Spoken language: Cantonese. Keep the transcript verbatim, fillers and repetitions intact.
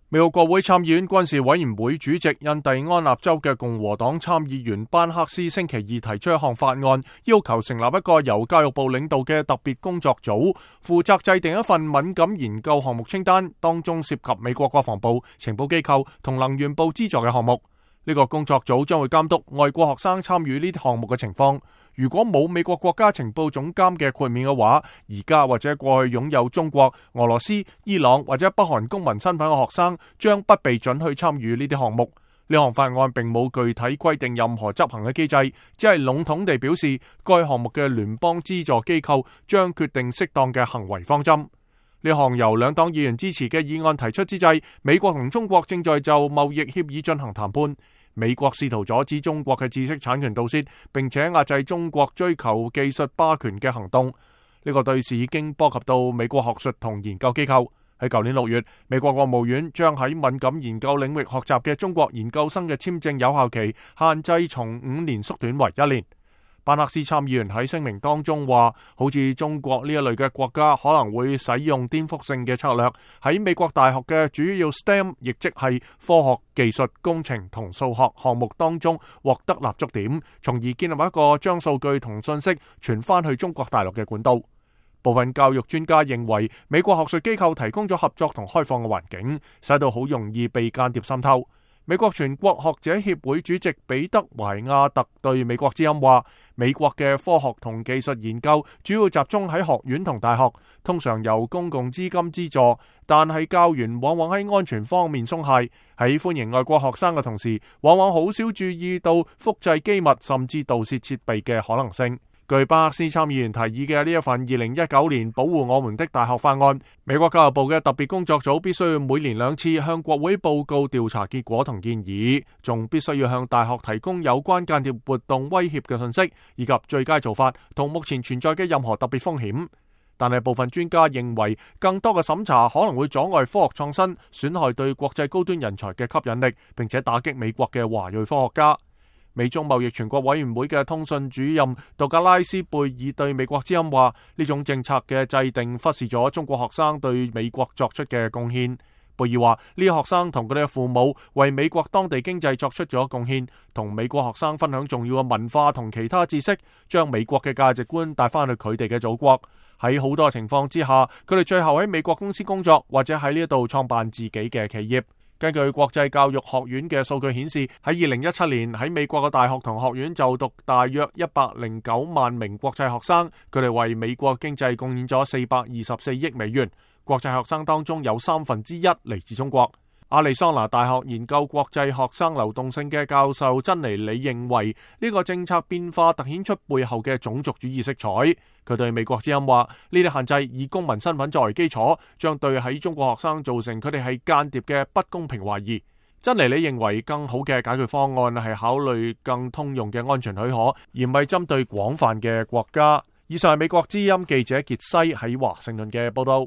美國國會參議院軍事委員會主席、印第安納州嘅共和黨參議員班克斯星期二提出一項法案，要求成立一個由教育部領導嘅特別工作組，負責制定一份敏感研究項目清單，當中涉及美國國防部、情報機構同能源部資助嘅項目。呢個工作組將會監督外國學生參與呢啲項目嘅情況。如果冇美國國家情報總監嘅豁免嘅話，而家或者過去擁有中國、俄羅斯、伊朗或者北韓公民身份嘅學生將不被准去參與呢啲項目。呢項法案並冇具體規定任何執行嘅機制，只係籠統地表示該項目嘅聯邦資助機構將決定適當嘅行為方針。呢項由兩黨議員支持嘅議案提出之際，美國同中國正在就貿易協議進行談判。美國試圖阻止中國嘅知識產權盜竊，並且壓制中國追求技術霸權嘅行動。呢個對峙已經波及到美國學術同研究機構。喺舊年六月，美國國務院將喺敏感研究領域學習嘅中國研究生嘅簽證有效期限制從五年縮短為一年。班克斯參議員喺聲明當中話，好似中國呢一類嘅國家可能會使用顛覆性嘅策略，喺美國大學嘅主要 S T E M， 亦即係科學、技術、工程同數學項目當中獲得立足點，從而建立一個將數據同信息傳翻去中國大陸嘅管道。部分教育專家認為，美國學術機構提供咗合作同開放嘅環境，使到好容易被間諜滲透。美國全國學者協會主席彼得懷亞特對美國之音話，美國嘅科學同技術研究主要集中喺學院同大學，通常由公共資金資助，但係教員往往喺安全方面鬆懈，喺歡迎外國學生嘅同時，往往好少注意到複製機密甚至盜竊設備嘅可能性。據班克斯參議員提議嘅呢一份二零一九年保護我們的大學法案，美國教育部嘅特別工作組必須要每年兩次向國會報告調查結果同建議，仲必須要向大學提供有關間諜活動威脅嘅信息，以及最佳做法同目前存在嘅任何特別風險。但係部分專家認為，更多嘅審查可能會阻礙科學創新，損害對國際高端人才嘅吸引力，並且打擊美國嘅華裔科學家。美中貿易全國委員會嘅通訊主任杜格拉斯貝爾對美國之音話，呢種政策嘅制定忽視咗中國學生對美國作出嘅貢獻。貝爾話，呢啲學生同佢哋嘅父母為美國當地經濟作出咗貢獻，同美國學生分享重要嘅文化同其他知識，將美國嘅價值觀帶翻去佢哋嘅祖國。喺好多情況之下，佢哋最後喺美國公司工作，或者喺呢一度創辦自己嘅企業。根據國際教育學院嘅數據顯示，喺二零一七年喺美國嘅大學同學院就讀大約一百零九萬名國際學生，佢哋為美國經濟貢獻咗四百二十四億美元。國際學生當中有三分之一嚟自中國。亞利桑那大學研究國際學生流動性嘅教授珍妮里認為，呢個政策變化凸顯出背後嘅種族主義色彩。佢對美國之音話，呢啲限制以公民身份作為基礎，將對喺中國學生造成佢哋係間諜嘅不公平懷疑。珍妮里認為，更好嘅解決方案係考慮更通用嘅安全許可，而唔係針對廣泛嘅國家。以上係美國之音記者傑西喺華盛頓嘅報道。